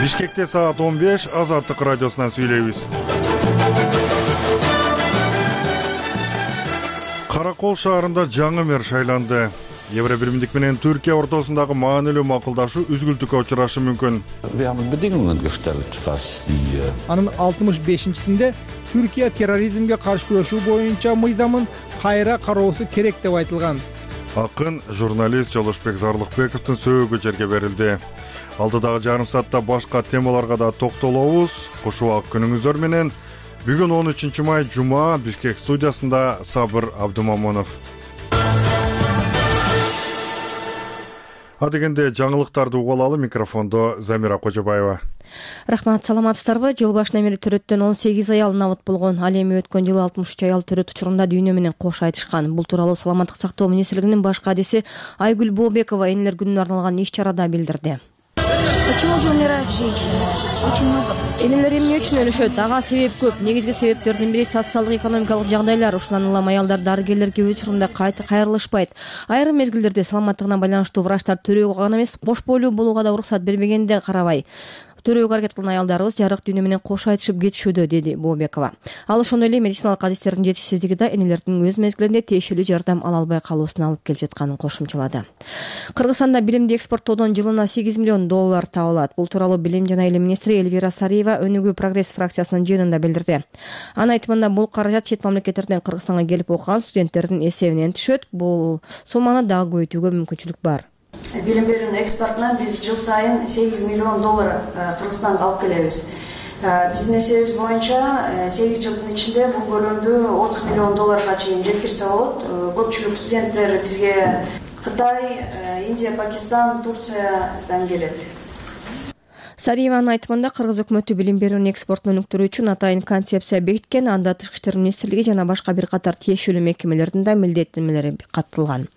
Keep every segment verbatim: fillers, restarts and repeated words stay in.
Бишкекте саат он беш, Азаттык радиосунан сүйлөйбүз. Каракол шаарында жаңы мэр шайланды. Евро биримдик менен Түркия ортосундагы маанилүү макулдашуу үзгүлтүккө учурашы мүмкүн. Анын алтымыш бешинчисинде Түркия терроризмге каршы күрөшүү боюнча мыйзамын кайра кароосу керек деп айтылган. Акын журналист Жолошбек Зарлыкбековдун сөөгү жерге берилди. Алдыдагы жарым саатта башка темаларга да токтолобуз. Кушубак күнүңүздөр менен. Бүгүн он үчүнчү май жума, Бишкек студиясында Сабыр Абдумамонов. Адегенде жаңылыктарды угуп алалы, микрофондо Замира Кожобаева. Рахмат, саламатсыздарбы? Жыл башынан бери төрөттөн он сегиз аял набыт болгон. Ал эми өткөн жылы алтымыш үч аял төрөт учурунда дүйнө менен кош айтышкан. Бул тууралуу Саламаттык сактоо министрлигинин баш кадиси Айгүл Бообекова энелер күнүнө арналган иш-чарада билдирди. Почему же умирают женщины? Очень много. Энелер эмне үчүн өлүшөт? Ага себеп көп. Негизги себептердин бири социалдык экономикалык жагдайлар. Ушундан улам аялдар дарыгерлерге учурунда кайта кайрылышпайт. Айрым мезгилдерде саламаттыгына байланыштуу врачтар төрөөгө гана эмес, кош бойлуу болууга да уруксат бербегенде карабай төрөөгө аракет кылган аялдарыбыз жарык дүйнө менен кош айтышып кетишүүдө, деди Бообекова. Ал ошондой эле медициналык адистердин жетишсиздиги да энелердин өз мезгилинде тиешелүү жардам ала албай калуусуна алып келип жатканын кошумчалады. Кыргызстанда билимди экспорттоодон жылына сегиз миллион доллар табылат. Бул тууралуу билим жана илим министри Эльвира Сариева Өнүгүү прогресс фракциясынын жыйынында билдирди. Анын айтымында бул каражат чет мамлекеттерден Кыргызстанга келип окуган студенттердин эсебинен түшөт. Бул сумманы дагы көбөйтүүгө мүмкүнчүлүк бар. Билим берүүнүн экспортунан биз жыл сайын сегиз миллион доллар Кыргызстанга алып келебиз. Биздин эсебибиз боюнча сегиз жылдын ичинде бул көлөмдү отуз миллион долларга чейин жеткирсе болот. Көпчүлүк студенттер бизге Кытай, Индия, Пакистан, Турциядан келет. Сариеванын айтымында Кыргыз өкмөтү билим берүүнүн экспортун өнүктүрүү үчүн атайын концепция бекиткен. Анда Тышкы иштер министрлиги жана башка бир катар тиешелүү мекемелердин да милдеттенмелери катталган.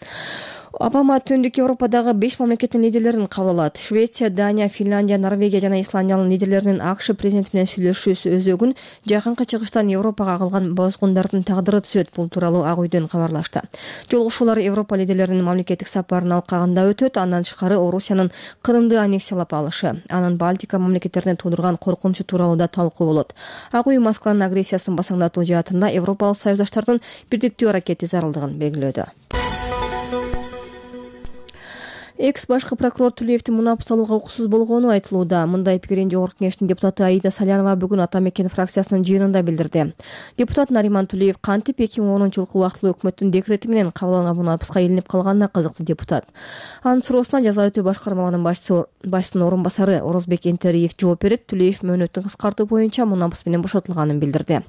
Обама Түндүк Европадагы беш мамлекеттин лидерлерин кабыл алат. Швеция, Дания, Финляндия, Норвегия жана Исландиянын лидерлеринин АКШ президенти менен сүйлөшүүсү өзөгүн жакынкы чыгыштан Европага кылган бозгундардын тагдыры түзөт. Бул тууралуу Ак үйдөн кабарлашты. Жолугушуулар Европа лидерлеринин мамлекеттик сапарын алкагында өтөт. Андан тышкары Орусиянын Крымды аннексиялап алышы, анын Балтика мамлекеттерине туудурган коркунучу тууралуу да талкуу болот. Ак үй Москванын агрессиясын басаңдатуу жаатында Европалык союздаштардын бирдиктүү аракети зарылдыгын белгилөөдө. Экс башкы прокурор Тулеевдин мунапыс алууга укуксуз болгону айтылууда. Мындай пикирин Жогорку Кеңештин депутаты Аида Салянова бүгүн Ата Мекен фракциясынын жыйынында билдирди. Депутат Нариман Тулеев кантип эки миң онунчу жылкы убактылуу өкмөттүн декрети менен кабыл алынган мунапыска илинип калганына кызыкты депутат. Анын суроосуна жаза өтөө башкармалыгынын башчысы башчысынын орун басары Орозбек Энтериев жооп берип, Тулеев мөөнөтүн кыскартуу боюнча мунапыс менен бошотулганын билдирди.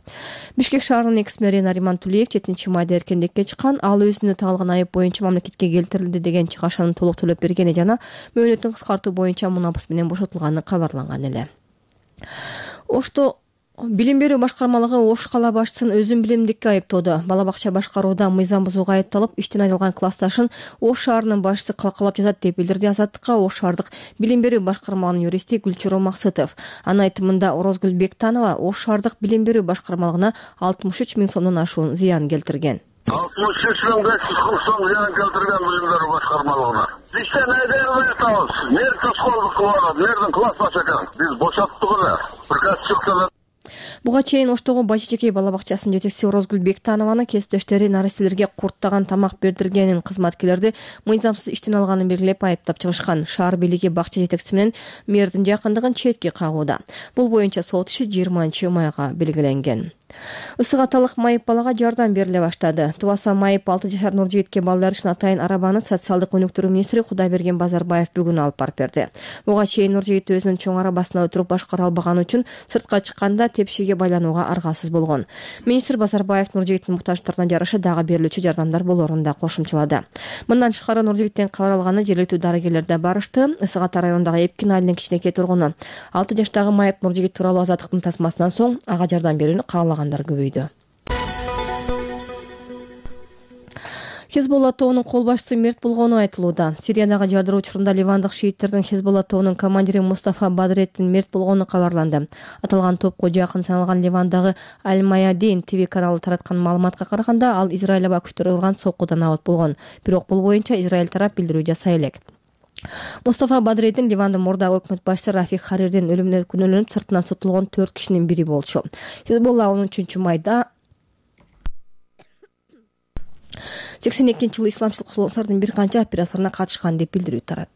Бишкек шаарынын экс мэри Нариман Тулеев жетинчи майда эркиндикке чыккан. Ал өзүнө тагылган айып боюнча мамлекетке келтирилди деген чыгашаны толук төлөп бергени жана мөөнөтүн кыскартуу боюнча мунапыс менен бошотулганы кабарланган эле. Ошто билим берүү башкармалыгы Ош кала башчысын өзүн билимдикке айыптоодо. Бала бакча башкарууда мыйзам бузууга айыпталып, иштен айрылган классташын Ош шаарынын башчысы калкалап жатат деп билдирди Азаттыкка Ош шаардык билим берүү башкармалыгынын юристи Гүлчуроо Максытов. Анын айтымында Орозгүл Бектанова Ош шаардык билим берүү башкармалыгына алтымыш үч миң сомдон ашуун зыян келтирген. алтымыш үч миң беш жүз кырк сом зыян келтирген билим берүү башкармалыгына. Иштен айдырбай атабыз. Мэр тоскоолдук кылып атат, мэрдин классташы экен. Биз бошоттук эле. Приказ чыкты. Буга чейин Оштогу Бачечекей бала бакчасынын жетекчиси Орозгүл Бектанованын кесиптештери наристелерге курттаган тамак бердиргенин, кызматкерлерди мыйзамсыз иштен алганын белгилеп айыптап чыгышкан. Шаар бийлиги бакча жетекчиси менен мэрдин жакындыгын четке кагууда. Бул боюнча сот иши жыйырманчы майга белгиленген. Ысык аталык майып балага жардам бериле баштады. Тубаса майып алты жашар Нуржигитке балдар үчүн атайын арабаны социалдык өнүктүрүү министри Кудайберген Базарбаев бүгүн алып барып берди. Буга чейин Нуржигит өзүнүн чоң арабасына отуруп башкара албаганы үчүн сыртка чыкканда тепшиге байланууга аргасыз болгон. Министр Базарбаев Нуржигиттин муктаждыктарына жараша дагы берилүүчү жардамдар болорун да кошумчалады. Мындан тышкары Нуржигиттен кабар алганы жергиликтүү дарыгерлер да барышты. Ысык ата районундагы Эпкин айылынын кичинекей тургуну алты жаштагы майып Нуржигит тууралуу Азаттыктын тасмасынан соң ага жардам берүүнү каалагандар көбөйдү. Хезболла тобунун кол башчысы мерт болгону айтылууда. Сириядагы жардыруу учурунда ливандык шииттердин Хезболла тобунун командири Мустафа Бадретдин мерт болгону кабарланды. Аталган топко жакын саналган Ливандагы Аль-Маядин ТВ каналы тараткан маалыматка караганда, ал Израиль аба күчтөрү урган соккудан абат болгон. Бирок бул боюнча Израиль тарап билдирүү жасай элек. Мустафа Бадреддин Ливандын мурдагы өкмөт башчысы Рафик Харирдин өлүмүнө күнөөлөнүп сыртынан сотулгон төрт кишинин бири болчу. Хизбулла он үчүнчү майда сексен экинчи жылы исламчыл козголуштардын бир канча операцияларына катышкан деп билдирүү тарат.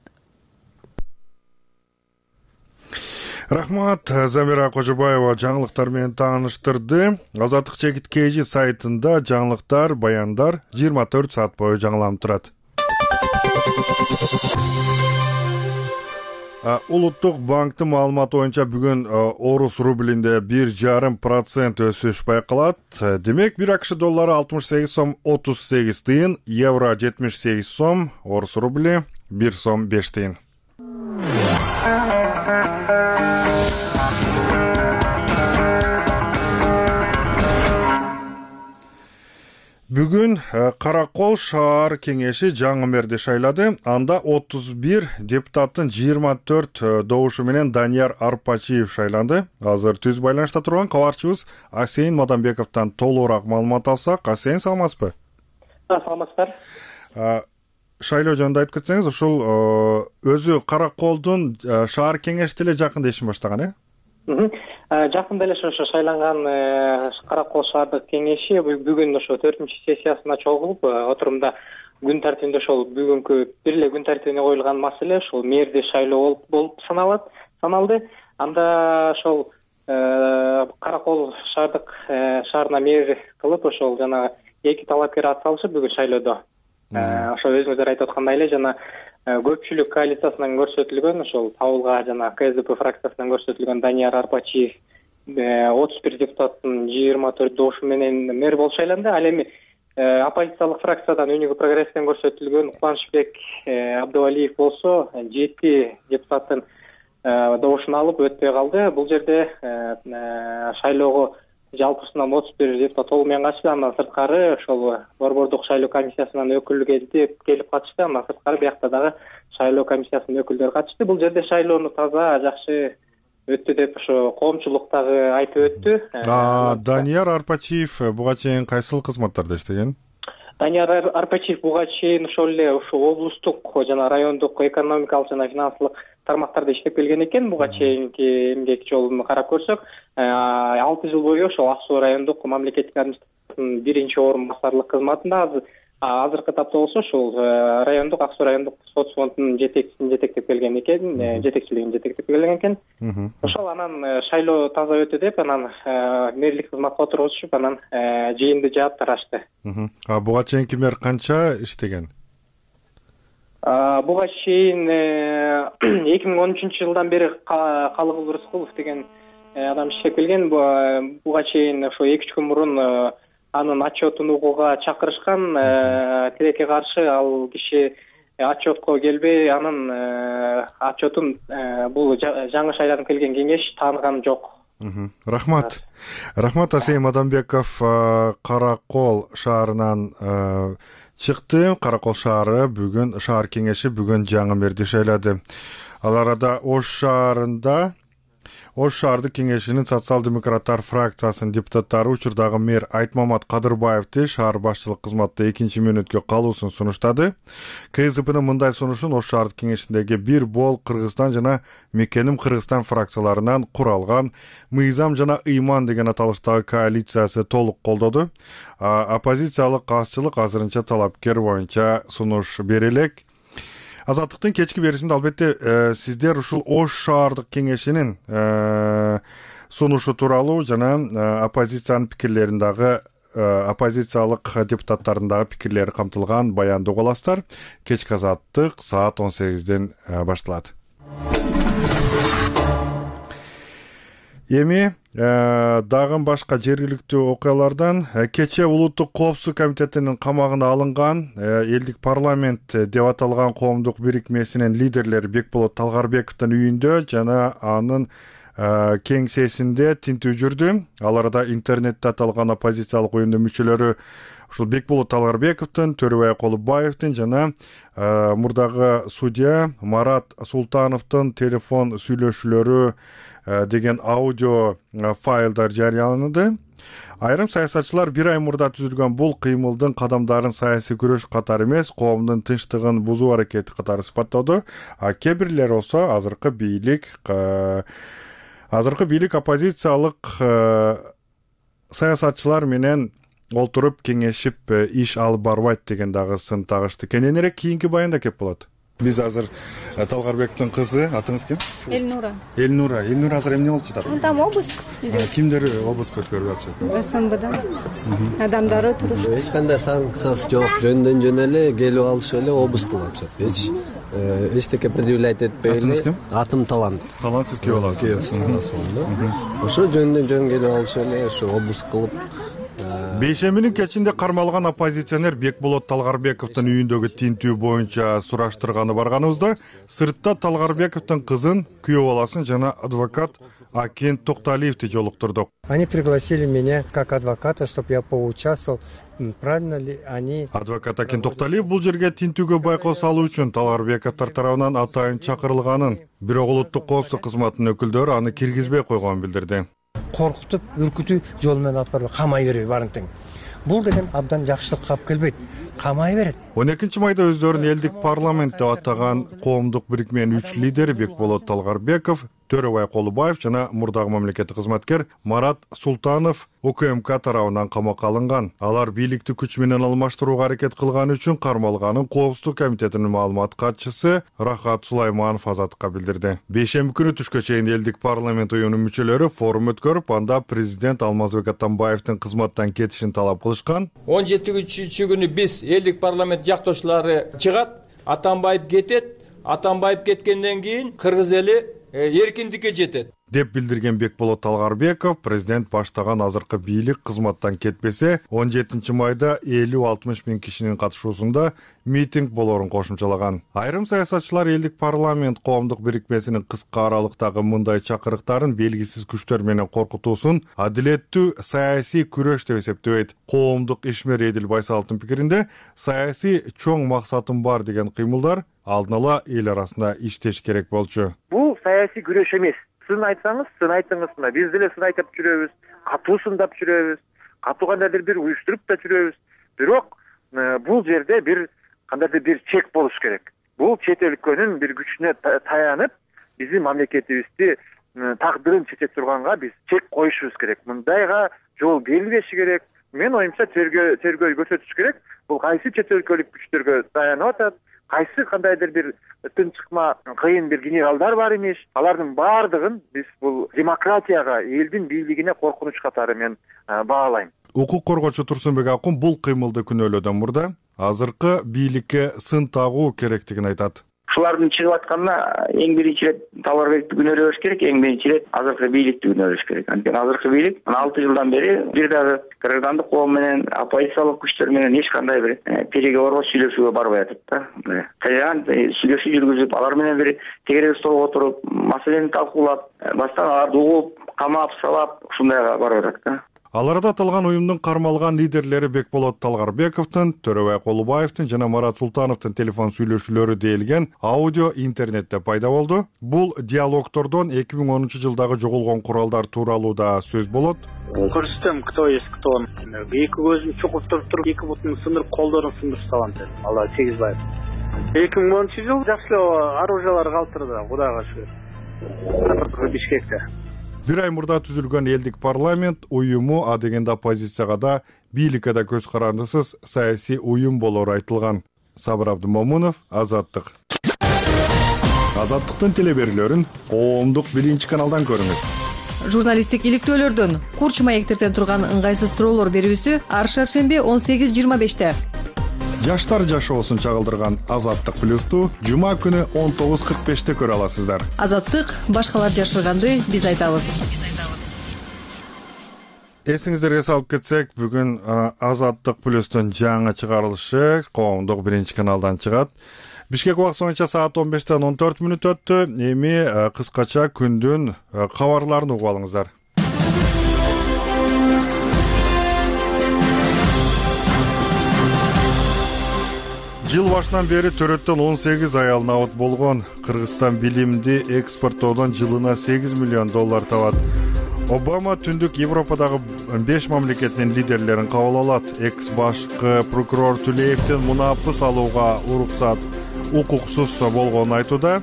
Рахмат. Замира Кожобаева жаңылыктар менен тааныштырды. Азаттык чекит кж сайтында жаңылыктар, баяндар жыйырма төрт саат бою жаңыланып турат. Улуттук банктын маалыматы боюнча бүгүн орус рублинде бир жарым процент өсүш байкалат. Демек, бир АКШ доллары алтымыш сегиз сом отуз сегиз тыйын, евро жетимиш сегиз сом, орус рубли бир сом беш тыйын. Бүгүн Каракол шаар кеңеши жаңы мэрди шайлады. Анда отуз бир депутаттын жыйырма төрт добушу менен Данияр Арпачиев шайланды. Азыр түз байланышта турган кабарчыбыз Асейин Мадамбековдон толугураак маалымат алсак. Асейин, саламатсызбы? Саламатсыздар. Шайлоо жөнүндө айтып кетсеңиз, ушул өзү Караколдун шаар кеңеши деле жакында ишин баштаган, э? Жакында эле ошо шайланган Каракол шаардык кеңеши бүгүн ошо төртүнчү сессиясына чогулуп, отурумда күн тартибинде ошол бүгүнкү бир эле күн тартибине коюлган маселе ошол мэрди шайлоо болуп саналат, саналды. Анда ошол Каракол шаардык шаарына мэр кылып ошол жана эки талапкер ат салышып бүгүн шайлоодо. Ошо өзүңүздөр айтып аткандай эле жана көпчүлүк коалициясынан көрсөтүлгөн ошол Табылга жана КСДП фракциясынан көрсөтүлгөн Данияр Арпачиев отуз бир депутаттын жыйырма төрт добушу менен мэр болуп шайланды. Ал эми оппозициялык фракциядан Өнүгүү прогресстен көрсөтүлгөн Кубанычбек Абдывалиев болсо жети депутаттын добушун алып өтпөй калды. Бул жерде шайлоого жалпысынан отуз бир депутат толугу менен катышты. Андан сырткары ошол борбордук шайлоо комиссиясынан өкүл келип келип катышты. Андан сырткары биякта дагы шайлоо комиссиясынын өкүлдөрү катышты. Бул жерде шайлоону таза, жакшы өттү деп ошо коомчулук дагы айтып өттү. Данияр Арпачиев буга чейин кайсыл кызматтарда иштеген? Данияр Арпачиев буга чейин ошол эле ошо облустук жана райондук экономикалык жана финансылык тармактарда иштеп келген экен. Буга чейинки эмгек жолун карап көрсөк, алты жыл бою ошол Ак Суу райондук мамлекеттик администрациянын биринчи орун басарлык кызматында, азыр азыркы тапта болсо ошол райондук Ак Суу райондук сот фондунун жетекчисин жетектеп келген экен, жетекчилигин жетектеп келген экен. Ошол анан шайлоо таза өтө деп, анан мэрлик кызматка отургузушуп, анан жыйынды жаап тарашты. А буга чейинки мэр канча иштеген? Буга чейин эки миң он үчүнчү жылдан бери Калыгул Рыскулов деген адам иштеп келген. Буга чейин ошо эки үч күн мурун анын отчетун угууга чакырышкан, тилекке каршы ал киши отчетко келбей, анын отчетун бул жаңы шайланып келген кеңеш тааныган жок. Рахмат. Рахмат. Асейин Мадамбеков Каракол шаарынан чыкты. Каракол шаары бүгүн шаар кеңеши бүгүн жаңы мэрди шайлады. Ал арада Ош шаарында Ош шаардык кеңешинин социал-демократтар фракциясынын депутаттары учурдагы мэр Айтмамат Кадырбаевди шаар башчылык кызматта экинчи мөөнөткө калуусун сунуштады. КСДПнын мындай сунушун Ош шаардык кеңешиндеги Бир Бол Кыргызстан жана Мекеним Кыргызстан фракцияларынан куралган Мыйзам жана Ыйман деген аталыштагы коалициясы толук колдоду. Оппозициялык азчылык азырынча талапкер боюнча сунуш бере элек. Азаттыктын кечки беришинде албетте сиздер ушул Ош шаардык кеңешинин сунушу тууралуу жана оппозициянын пикирлерин дагы оппозициялык депутаттардын дагы пикирлери камтылган баянды уга аласыздар. Кечки Азаттык саат он сегизден башталат. Эми дагы башка жергиликтүү окуялардан кече Улуттук коопсуздук комитетинин камагына алынган элдик парламент деп аталган коомдук бирикмесинин лидерлери Бекболот Талгарбековдун үйүндө жана анын кеңсесинде тинтүү жүрдү. Ал арада интернетте аталган оппозициялык уюмдун мүчөлөрү ушул Бекболот Талгарбековдун, Төрөбай Колубаевдин жана мурдагы судья Марат Султановдун телефон сүйлөшүүлөрү деген аудио файлдар жарыяланды. Айрым саясатчылар бир ай мурда түзүлгөн бул кыймылдын кадамдарын саясий күрөш катары эмес, коомдун тынчтыгын бузуу аракети катары сыпаттоодо. А кээ бирлер болсо азыркы бийлик азыркы бийлик оппозициялык саясатчылар менен олтуруп кеңешип иш алып барбайт деген дагы сын тагышты. Кененирээк кийинки баянда кеп болот. Биз азыр Талгарбековдун кызы, атыңыз ким? Элнура. Элнура. Элнура азыр эмне болуп жатат? Там обыск. Кимдер обыск өткөрүп атышат? СМБдан. Адамдары турушат. Эч кандай санкциясы жок, жөндөн жөн эле келип алышып эле обыск кылып атышат. Эч эчтеке предъявлять этпей эле. Атыңыз ким? Атым Талант. Талант, сиз күйөө аласыз. Ошо жөндөн жөн келип алышып эле ошо обыск кылып. Бейшембинин кечинде кармалган оппозиционер Бекболот Талгарбековдун үйүндөгү тинтүү боюнча сураштырганы барганыбызда сыртта Талгарбековдун кызын, күйөө баласын жана адвокат Акин Токталиевди жолуктурдук. Они пригласили меня как адвоката, чтобы я поучаствовал. Правильно ли они? Адвокат Акин Токталиев бул жерге тинтүүгө байкоо салуу үчүн Талгарбековдор тарабынан атайын чакырылганын, бирок улуттук коопсуздук кызматынын өкүлдөрү аны киргизбей койгонун билдирди. Коркутуп, үркүтүү жол менен алып барып камай берип барынтың. Бул деген абдан жакшылыкка алып келбейт. Камай берет. он экинчи майда өздөрүн элдик парламент деп атаган коомдук бирикменин үч лидери Бекболот Талгарбеков, Төрөбай Колубаев жана мурдагы мамлекеттик кызматкер Марат Султанов УКМК тарабынан камакка алынган. Алар бийликти күч менен алмаштырууга аракет кылганы үчүн кармалганын Коопсуздук комитетинин маалымат катчысы Рахат Сулайманов Азаттыкка билдирди. Бейшемби күнү түшкө чейин элдик парламент уюмунун мүчөлөрү форум өткөрүп, анда президент Алмазбек Атамбаевдин кызматтан кетишин талап кылышкан. он жетинчи күнү биз элдик парламент жактоочулары чыгат, Атамбаев кетет, Атамбаев кеткенден кийин кыргыз эли эркиндикке жетет деп билдирген Бекболот Талгарбеков, президент баштаган азыркы бийлик кызматтан кетпесе, он жетинчи майда элүү алтымыш миң кишинин катышуусунда митинг болоорун кошумчалаган. Айрым саясатчылар элдик парламент коомдук бирикмесинин кыска аралыктагы мындай чакырыктарын белгисиз күчтөр менен коркутуусун адилеттүү саясий күрөш деп эсептебейт. Коомдук ишмер Эдил Байсаловдун пикиринде, саясий чоң максатым бар деген кыймылдар алдын ала эл арасында иштеш керек болчу. Бул саясий күрөш эмес. Сын айтсаңыз, сын айтыңыз мына. Биз деле сын айтып жүрөбүз, катуу сындап жүрөбүз, катуу кандайдыр бир уюштуруп да жүрөбүз. Бирок бул жерде бир кандайдыр бир чек болуш керек. Бул чет өлкөнүн бир күчүнө таянып, биздин мамлекетибизди тагдырын чече турганга биз чек коюшубуз керек. Мындайга жол берилбеши керек. Мен оюмча тергөө тергөө көрсөтүш керек. Бул кайсы чет өлкөлүк күчтөргө таянып атат? Кайсы кандайдыр бир тынчыкма кыйын бир генералдар бар имиш. Алардын баардыгын биз бул демократияга, элдин бийлигине коркунуч катары мен баалайм. Укук коргоочу Турсунбек Акун бул кыймылды күнөөлөөдөн мурда азыркы бийликке сын тагуу керектигин айтат. Ушулардын чыгып атканына эң биринчи ирет Талгарбекти күнөөлөш керек, эң биринчи ирет азыркы бийликти күнөөлөш керек. Анткени азыркы бийлик алты жылдан бери бир дагы граждандык коом менен, оппозициялык күчтөр менен эч кандай бир переговорго, сүйлөшүүгө барбай атат да. Толерант сүйлөшүү жүргүзүп, алар менен бир тегерек столго отуруп, маселени талкуулап, баштан аларды угуп, камап, сабап, ушундайга барып атат да. Аларда аталган уюмдун кармалган лидерлери Бекболот Талгарбековдун, Төрөбай Колубаевдин жана Марат Султановдун телефон сүйлөшүүлөрү делген аудио интернетте пайда болду. Бул диалогтордон эки миң онунчу жылдагы жоголгон куралдар тууралуу да сөз болот. Көрсөтөм, кто есть кто. Эки көзүн чукуп туруп туруп, эки бутун сындырып, колдорун сындырып салган деп. Алла тийгизбайт. эки миң онунчу жыл жакшы оружиялар калтырды, Кудайга шүгүр. Бишкекте. Бир ай мурда түзүлгөн элдик парламент уюму а дегенде оппозицияга да, бийликке да көз карандысыз саясий уюм болору айтылган. Сабыр Абдымомунов, Азаттык. Азаттыктын телеберүүлөрүн коомдук биринчи каналдан көрүңүз. Журналисттик иликтөөлөрдөн курч маектерден турган ыңгайсыз суроолор берүүсү ар шаршемби он сегиз жыйырма беште. Жаштар жашоосун чагылдырган Азаттык плюсту жума күнү он тогуз кырк беште көрө аласыздар. Азаттык башкалар жашырганды биз айтабыз. Эсиңиздерге салып кетсек, бүгүн Азаттык плюстун жаңы чыгарылышы коомдук биринчи каналдан чыгат. Бишкек убакыты боюнча саат он бештен он төрт мүнөт өттү. Эми кыскача күндүн кабарларын угуп алыңыздар. Жыл башынан бери төрөттөн он сегиз аял набыт болгон. Кыргызстан билимди экспорттоодон жылына сегиз миллион доллар табат. Обама түндүк Европадагы беш мамлекеттин лидерлерин кабыл алат. Экс башкы прокурор Түлеевдин мунапыс алууга уруксат укуксуз болгонун айтууда.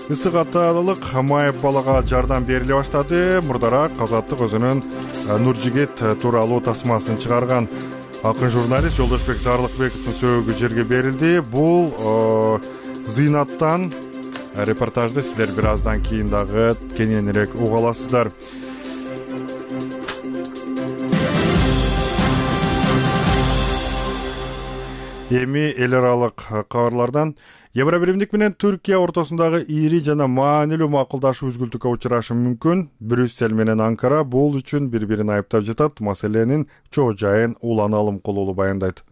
Ысык аталык майып балага жардам бериле баштады. Мурдараак Азаттык өзүнүн Нуржигит тууралуу тасмасын чыгарган. Акын журналист Жолдошбек Зарлыкбековдун сөөгү жерге берилди. Бул Зыйнаттан репортажды силер бир аздан кийин дагы кененирээк уга аласыздар. Эми эл аралык кабарлардан Евробиримдик менен Түркия ортосундагы ири жана маанилүү макулдашуу үзгүлтүккө учурашы мүмкүн. Брюссель менен Анкара бул үчүн бири-бирин айыптап жатат. Маселенин чоо жайын Улан Алымкул уулу баяндайт.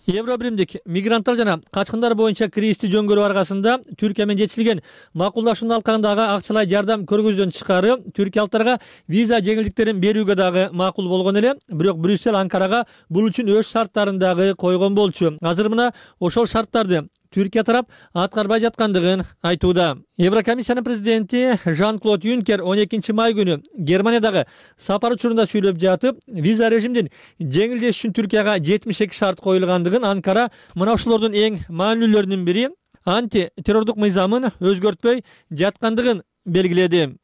Евробиримдик мигранттар жана качкындар боюнча кризисти жөнгөрүү аркасында Түркия менен жетишилген макулдашуунун алкагындагы акчалай жардам көргөздөн тышкары түркиялыктарга виза жеңилдиктерин берүүгө дагы макул болгон эле. Бирок Брюссель Анкарага бул үчүн өз шарттарын дагы койгон болчу. Азыр мына ошол шарттарды Түркия тарап аткарбай жаткандыгын айтууда. Еврокомиссиянын президенти Жан-Клод Юнкер он экинчи май күнү Германиядагы сапар учурунда сүйлөп жатып, виза режимдин жеңилдеш үчүн Түркияга жетимиш эки шарт коюлгандыгын, Анкара мына ошолордун эң маанилүүлөрүнүн бири анти террордук мыйзамын өзгөртпөй жаткандыгын белгиледи.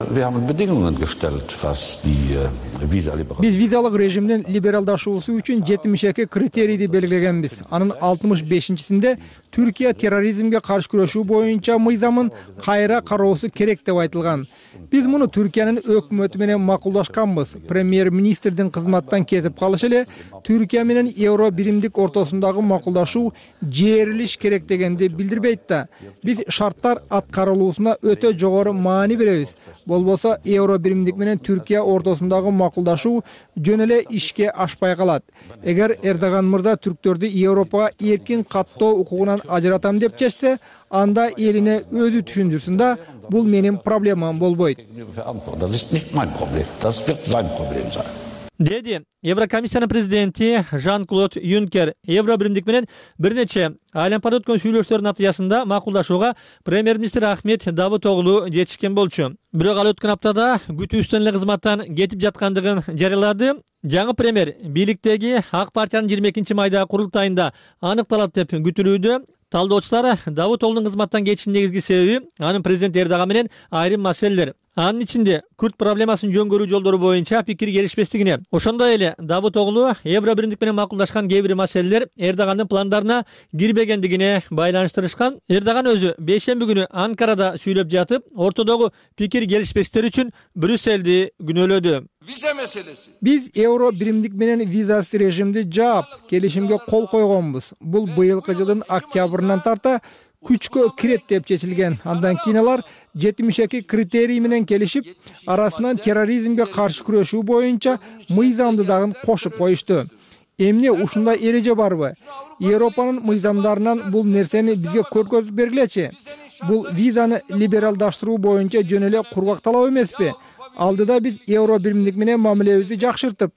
Биз визалык режимдин либералдашуусу үчүн жетимиш эки критерийди белгилегенбиз. Анын алтымыш бешинчисинде Түркия терроризмге каршы күрөшүү боюнча мыйзамын кайра кароосу керек деп айтылган. Биз муну Түркиянын өкмөтү менен макулдашканбыз. Премьер-министрдин кызматтан кетип калышы эле Түркия менен евро биримдик ортосундагы макулдашуу жээрилиш керек дегенди билдирбейт да. Биз шарттар аткарылуусуна өтө жогору маани беребиз. Болбосо евро биримдик менен Түркия ортосундагы макулдашуу жөн эле ишке ашпай калат. Эгер Эрдоган мырза түрктөрдү Европага эркин каттоо укугунан ажыратам деп чечсе, анда элине өзү түшүндүрсүн да, бул менин проблемам болбойт. Деди Еврокомиссиянын президенти Жан-Клод Юнкер. Евробиримдик менен бир нече айлампада өткөн сүйлөшүүлөрдүн натыйжасында макулдашууга премьер-министр Ахмет Давутоглу жетишкен болчу. Бирок ал өткөн аптада күтүүбүздөн эле кызматтан кетип жаткандыгын жарыялады. Жаңы премьер бийликтеги Ак партиянын жыйырма экинчи майдагы курултайында аныкталат деп күтүлүүдө. Талдоочулар Давутоглунун кызматтан кетишинин негизги себеби анын президент Эрдоган менен айрым маселелер. Анын ичинде күрд проблемасын жөнгөрүү жолдору боюнча пикир келишпестигине, ошондой эле Давутоглу Евробиримдик менен макулдашкан кээ бир маселелер Эрдогандын пландарына кирбегендигине байланыштырышкан. Эрдоган өзү бейшемби күнү Анкарада сүйлөп жатып, ортодогу пикир келишпестиктер үчүн Брюссельди күнөөлөдү. Виза маселеси. Биз евро биримдик менен визасыз режимди жаап, келишимге кол койгонбуз. Бул быйылкы жылдын октябрынан тарта күчкө кирет деп чечилген. Андан кийин алар жетимиш эки критерий менен келишип, арасынан терроризмге каршы күрөшүү боюнча мыйзамды дагы кошуп коюшту. Эмне ушундай эреже барбы? Европанын мыйзамдарынан бул нерсени бизге көргөзүп бергилечи. Бул визаны либералдаштыруу боюнча жөн эле кургак талап эмеспи? Алдыда биз евро биримдик менен мамилебизди жакшыртып,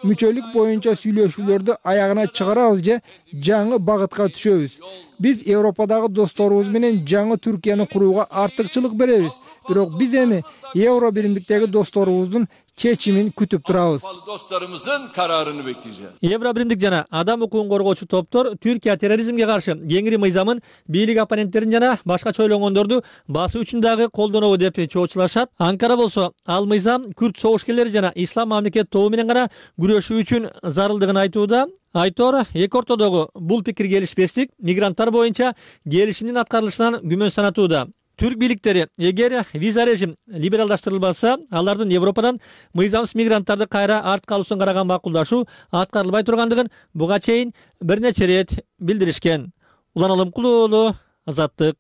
мүчөлүк боюнча сүйлөшүүлөрдү аягына чыгарабыз же жаңы багытка түшөбүз. Биз Европадагы досторубуз менен жаңы Түркияны курууга артыкчылык беребиз. Бирок биз эми евро биримдиктеги досторубуздун чечимин күтүп турабыз. Dostlarımızın kararını bekleyeceğiz. Евробиримдик жана адам укугун коргоочу топтор Түркия терроризмге каршы кеңири мыйзамын бийлик оппоненттерин жана башкача ойлогондорду басуу үчүн дагы колдонобу деп чоочулашат. Анкара болсо ал мыйзам күрд согушкерлери жана ислам мамлекет тобу менен гана күрөшүү үчүн зарылдыгын айтууда. Айтор эки ортодогу бул пикир келишпестик мигранттар боюнча келишимдин аткарылышынан күмөн санатууда. Түрк бийликтери эгер виза режим либералдаштырылбаса, алардын Европадан мыйзамсыз мигранттарды кайра арт калуусун караган макулдашуу аткарылбай тургандыгын буга чейин бир нече ирет билдиришкен. Улан Алымкул уулу, Азаттык.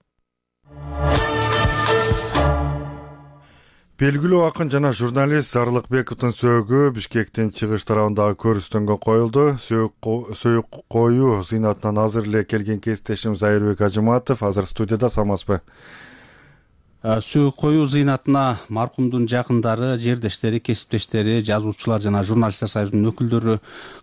Белгилүү акын жана журналист Зарлыкбековдун сөөгү Бишкектин чыгыш тарабындагы көрүстөнгө коюлду. Сөөк коюу Зыйнатынан азыр эле келген кесиптешим Зайырбек Ажыматов азыр студияда. Саламатсызбы? Сөөк коюу зыйнатына маркумдун жакындары, жердештери, кесиптештери, жазуучулар жана журналисттер союзунун өкүлдөрү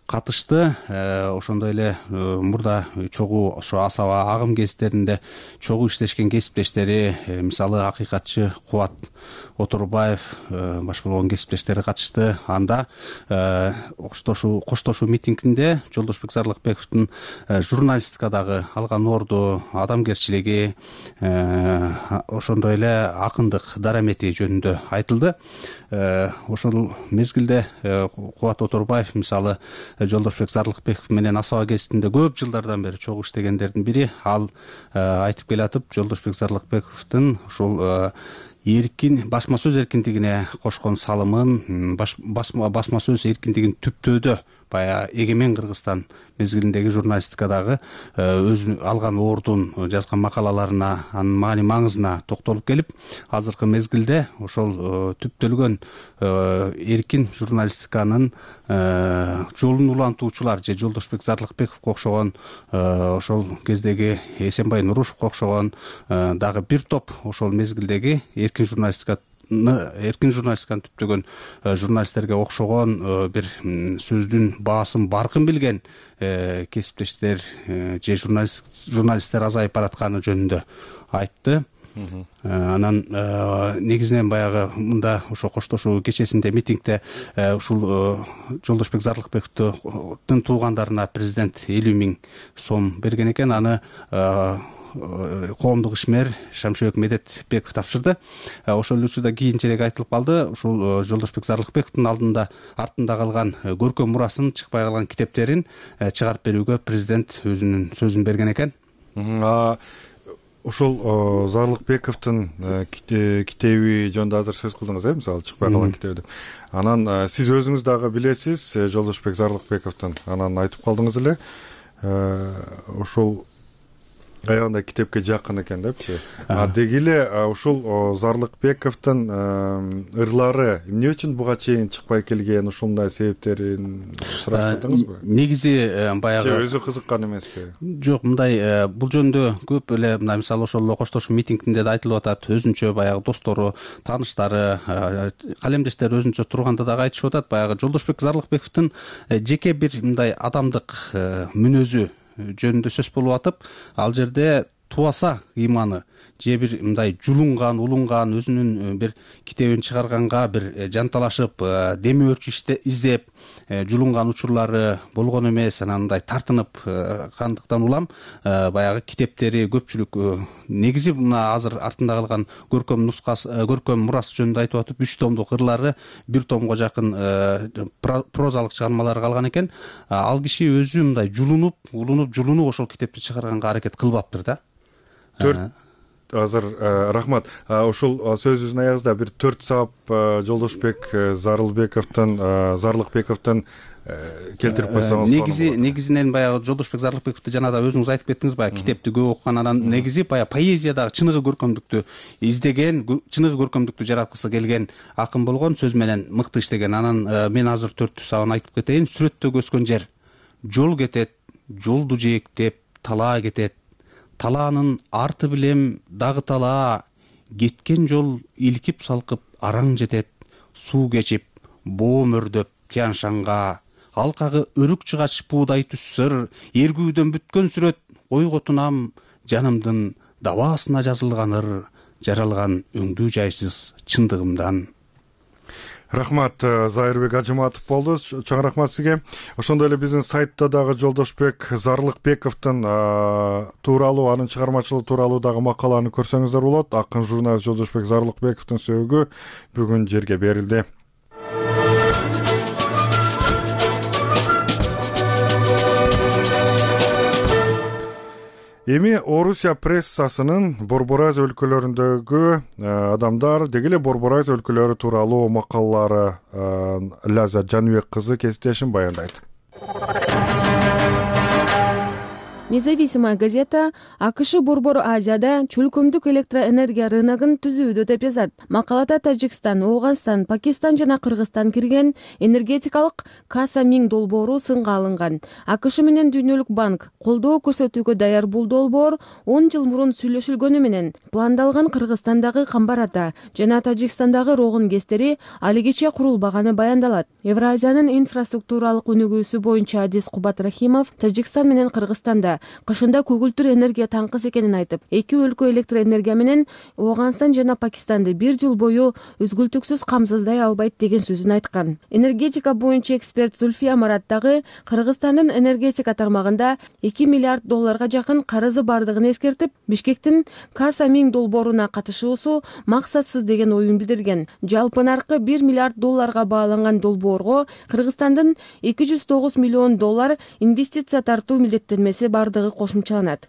катышты. Ошондой эле мурда чогуу ошо асаба агым кездеринде чогуу иштешкен кесиптештери, мисалы акыйкатчы Кубат Оторбаев баш болгон кесиптештери катышты. Анда коштошуу коштошуу митингинде Жолдошбек Зарлыкбековдун журналистикадагы алган орду, адамгерчилиги, ошондой эле акындык дарамети жөнүндө айтылды. Ошол мезгилде Кубат Оторбаев мисалы Жолдошбек Зарлыкбеков менен асаба гезитинде көп жылдардан бери чогуу иштегендердин бири. Ал айтып келатып, Жолдошбек Зарлыкбековдун ушул эркин басма сөз эркиндигине кошкон салымын, басма сөз эркиндигин түптөөдө баягы эгемен Кыргызстан мезгилиндеги журналистикадагы өзү алган ордун, жазган макалаларына, анын маани маңызына токтолуп келип, азыркы мезгилде ошол түптөлгөн эркин журналистиканын жолун улантуучулар же Жолдошбек Зарлыкбековго окшогон, ошол кездеги Эсенбай Нурушевго окшогон дагы бир топ ошол мезгилдеги эркин журналистика эркин журналистиканы түптөгөн журналисттерге окшогон бир сөздүн баасын баркын билген кесиптештер же журналисттер азайып баратканы жөнүндө айтты. Анан негизинен баягы мында ошо коштошуу кечесинде митингде ушул Жолдошбек Зарлыкбековдун туугандарына президент элүү миң сом берген экен. Аны коомдук ишмер Шамшыбек Медетбеков тапшырды. Ошол эле учурда кийинчерээк айтылып калды, ушул Жолдошбек Зарлыкбековдун алдында артында калган көркөм мурасын, чыкпай калган китептерин чыгарып берүүгө президент өзүнүн сөзүн берген экен. Ушул Зарлыкбековдун китеби жөнүндө азыр сөз кылдыңыз, э, мисалы чыкпай калган китеби. Анан сиз өзүңүз дагы билесиз Жолдошбек Зарлыкбековдун. Анан айтып калдыңыз эле, ошол аягында китепке жакын экен депчи. А деги эле ушул Зарлыкбековдун ырлары эмне үчүн буга чейин чыкпай келген, ушундай себептерин сураштырдыңызбы? Негизи баягы өзү кызыккан эмеспи? Жок, мындай бул жөнүндө көп эле мына мисалы ошол коштошуу митингинде да айтылып атат. Өзүнчө баягы достору, тааныштары, калемдештери өзүнчө турганда дагы айтышып атат. Баягы Жолдошбек Зарлыкбековдун жеке бир мындай адамдык мүнөзү жөнүндө сөз болуп атып, ал жерде тубаса ыйманы же бир мындай жулунган, улунган, өзүнүн бир китебин чыгарганга бир жанталашып, деми өрчү издеп, жулунган учурлары болгон эмес. Анан мындай тартынып кандыктан улам баягы китептери көпчүлүк негизи мына азыр артында калган көркөм нускасы, көркөм мурасы жөнүндө айтып атып, үч томдук ырлары, бир томго жакын прозалык чыгармалары калган экен. Ал киши өзү мындай жулунуп, улунуп, жулунуп ошол китепти чыгарганга аракет кылбаптыр да. Төрт азыр рахмат. Ушул сөзүбүздүн аягында бир төрт сабап Жолдошбек Зарлыкбековдун Зарлыкбековдун келтирип койсоңуз. Негизи негизинен баягы Жолдошбек Зарлыкбековду жана да өзүңүз айтып кеттиңиз, баягы китепти көп окуган, анан негизи баягы поэзиядагы чыныгы көркөмдүктү издеген, чыныгы көркөмдүктү жараткысы келген акын болгон, сөз менен мыкты иштеген. Анан мен азыр төрт сабын айтып кетейин. Сүрөттө өскөн жер жол кетет, жолду жээктеп талаа кетет. Талаанын арты билем дагы талаа, кеткен жол илкип салкып араң жетет. Суу кечип, боо мөрдөп Тяншанга, алкагы өрүк чыгач буудай түссөр, эргүүдөн бүткөн сүрөт ойготунам, жанымдын дабаасына жазылганыр, жаралган өңдүү жайсыз чындыгымдан. Рахмат, Зайырбек Ажыматов болду. Чоң рахмат сизге. Ошондой эле биздин сайтта дагы Жолдошбек Зарлыкбековдун тууралуу, анын чыгармачылыгы тууралуу дагы макаланы көрсөңүздөр болот. Акын журналист Жолдошбек Зарлыкбековдун сөөгү бүгүн жерге берилди. Эми Орусия прессасынын Борборайз өлкөлөрүндөгү адамдар, деги эле Борборайз өлкөлөрү тууралуу макалалары Ляззат Жаныбек кызы кесиптешин баяндайт. Независимая газета АКШ Борбор Азияда чөлкөмдүк электроэнергия рыногун түзүүдө деп жазат. Макалада Тажикстан, Ооганстан, Пакистан жана Кыргызстан кирген энергетикалык касса миң долбоору сынга алынган. АКШ менен Дүйнөлүк банк колдоо көрсөтүүгө даяр бул долбоор он жыл мурун сүйлөшүлгөнү менен пландалган Кыргызстандагы Камбар Ата жана Тажикстандагы Рогун ГЭСтери алигиче курулбаганы баяндалат. Евразиянын инфраструктуралык өнүгүүсү боюнча Адис Кубат Рахимов Тажикстан менен Кыргызстанда кышында көгүлтүр энергия таңкыс экенин айтып, эки өлкө электроэнергия менен Ооганстан жана Пакистанды бир жыл бою үзгүлтүксүз камсыздай албайт деген сөзүн айткан. Энергетика боюнча эксперт Зульфия Марат дагы Кыргызстандын энергетика тармагында эки миллиард долларга жакын карызы бардыгын эскертип, Бишкектин касса миң долбооруна катышуусу максатсыз деген оюн билдирген. Жалпы наркы бир миллиард долларга бааланган долбоорго Кыргызстандын эки жүз тогуз миллион доллар инвестиция тартуу милдеттенмеси бардыгы кошумчаланат.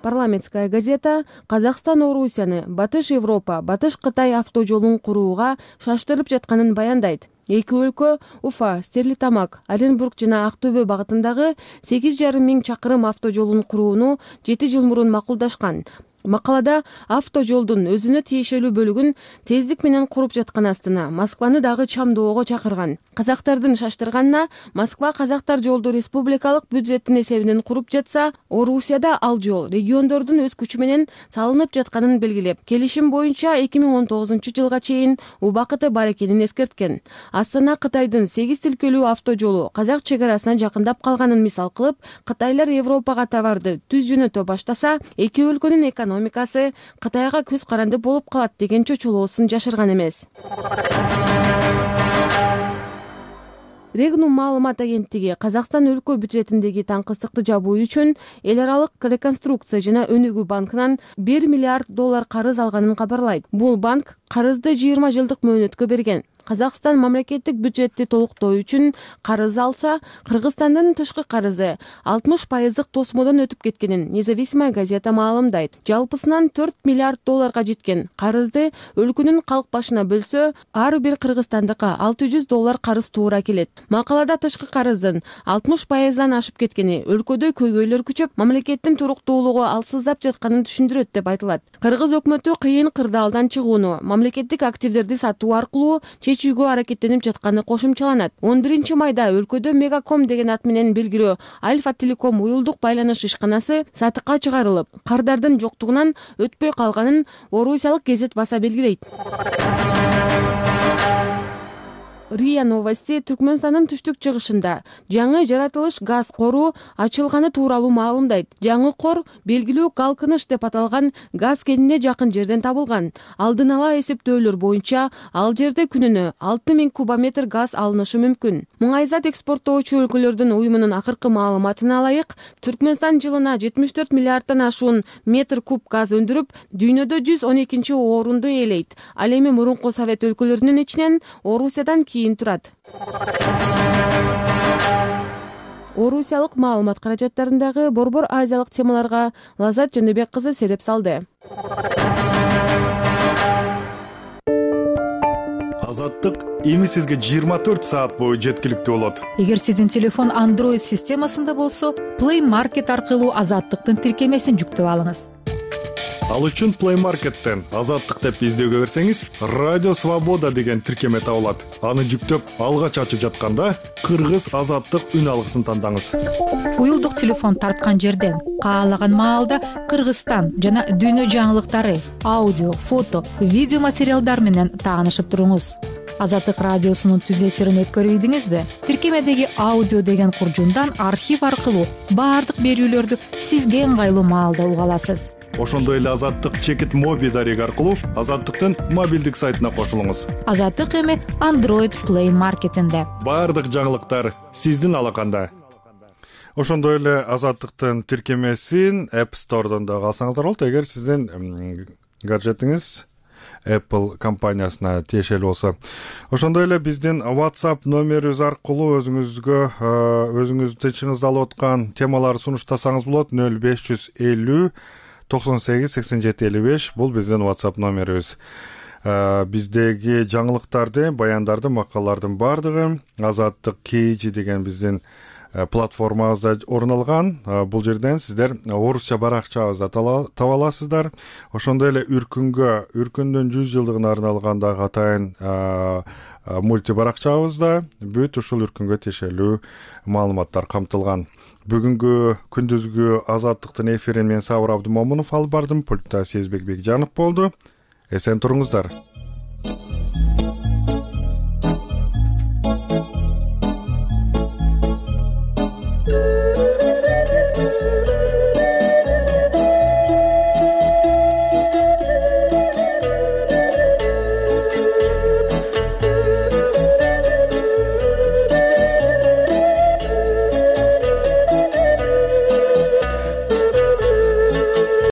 Парламентская газета Казакстан Орусияны Батыш Европа, Батыш Кытай автожолун курууга шаштырып жатканын баяндайт. Эки өлкө Уфа, Стерлитамак, Оренбург жана Актөбө багытындагы сегиз жарым миң чакырым автожолун курууну жети жыл мурун макулдашкан. Макалада автожолдун өзүнө тиешелүү бөлүгүн тездик менен куруп жаткан астына Москваны дагы чамдоого чакырган. Казактардын шаштырганына Москва казактар жолду республикалык бюджеттин эсебинен куруп жатса, Орусияда ал жол региондордун өз күчү менен салынып жатканын белгилеп, келишим боюнча эки миң он тогузунчу жылга чейин убакыты бар экенин эскерткен. Астана Кытайдын сегиз тилкелүү автожолу казак чек арасына жакындап калганын мисал кылып, кытайлар Европага товарды түз жөнөтө баштаса, эки өлкөнүн экономикасы Кытайга көз каранды болуп калат деген чочулоосун жашырган эмес. Регнум маалымат агенттиги Казакстан өлкө бюджетиндеги таңкыстыкты жабуу үчүн эл аралык реконструкция жана өнүгүү банкынан бир миллиард доллар карыз алганын кабарлайт. Бул банк карызды жыйырма жылдык мөөнөткө берген. Казакстан мамлекеттик бюджетти толуктоо үчүн карыз алса, Кыргызстандын тышкы карызы алтымыш пайыздык тосмодон өтүп кеткенин Независимая газета маалымдайт. Жалпысынан төрт миллиард долларга жеткен карызды өлкөнүн калк башына бөлсө, ар бир кыргызстандыкка алты жүз доллар карыз туура келет. Макалада тышкы карыздын алтымыш пайыздан ашып кеткени, өлкөдө көйгөйлөр күчөп, мамлекеттин туруктуулугу алсыздап жатканын түшүндүрөт деп айтылат. Кыргыз өкмөтү кыйын кырдаалдан чыгууну, мамлекеттик активдерди сатуу аркылуу чечүүгө аракеттенип жатканы кошумчаланат. он биринчи майда өлкөдө Мегаком деген ат менен белгилүү Альфа Телеком уюлдук байланыш ишканасы сатыкка чыгарылып, кардардын жоктугунан өтпөй калганын Орусиялык гезет баса белгилейт. РИА Новости Түркмөнстандын түштүк чыгышында жаңы жаратылыш газ кору ачылганы тууралуу маалымдайт. Жаңы кор белгилүү Калкыныш деп аталган газ кенине жакын жерден табылган. Алдын ала эсептөөлөр боюнча ал жерде күнүнө алты миң кубометр газ алынышы мүмкүн. Муңайзат экспорттоочу өлкөлөрдүн уюмунун акыркы маалыматына ылайык, Түркмөнстан жылына жетимиш төрт миллиарддан ашуун метр куб газ өндүрүп, дүйнөдө жүз он экинчи орунду ээлейт. Ал эми мурунку Совет өлкөлөрүнүн ичинен Орусиядан кийин турат. Орусиялык маалымат каражаттарындагы борбор азиялык темаларга Лазат Жандыбек кызы сереп салды. Азаттык эми сизге жыйырма төрт саат бою жеткиликтүү болот. Эгер сиздин телефон Android системасында болсо, Play Market аркылуу Азаттыктын тиркемесин жүктөп алыңыз. Ал үчүн Play Market'тен Азаттык деп издөөгө берсеңиз, Радио Свобода деген тиркеме табылат. Аны жүктөп, алгач ачып жатканда Кыргыз Азаттык үн алгысын тандаңыз. Уюлдук телефон тарткан жерден каалаган маалда Кыргызстан жана дүйнө жаңылыктары, аудио, фото, видео материалдар менен таанышып туруңуз. Азаттык радиосунун түз эфирин өткөрүйдүңүзбү? Тиркемедеги аудио деген куржундан архив аркылуу баардык берүүлөрдү сизге ыңгайлуу маалда уга аласыз. Ошондой эле Азаттык чекит моби дареги аркылуу Азаттыктын мобилдик сайтына кошулуңуз. Азаттык эми Android Play Market'инде. Баардык жаңылыктар сиздин алаканда. Ошондой эле Азаттыктын тиркемесин App Store'дон да алсаңыздар болот, эгер сиздин гаджетиңиз Apple компаниясына тиешелүү болсо. Ошондой эле биздин WhatsApp номерибиз аркылуу өзүңүзгө өзүңүздүн тынчыңызды алып аткан темаларды сунуштасаңыз болот. нөл беш жүз элүү токсон сегиз сексен жети элүү беш бул биздин WhatsApp номерибиз. Биздеги жаңылыктарды, баяндарды, макалалардын баардыгы Азаттык кей жи деген биздин платформабызда орун алган. Бул жерден сиздер орусча баракчабызды таба аласыздар. Ошондой эле Үркүнгө, Үркүндүн жүз жылдыгына арналган дагы атайын мульти баракчабызда бүт ушул Үркүнгө тиешелүү маалыматтар камтылган. Бүгүнкү күндүзгү Азаттыктын эфирин мен Сабыр Абдымомунов алып бардым. Пультта Сезбек Бекжанов болду. Эсен туруңуздар.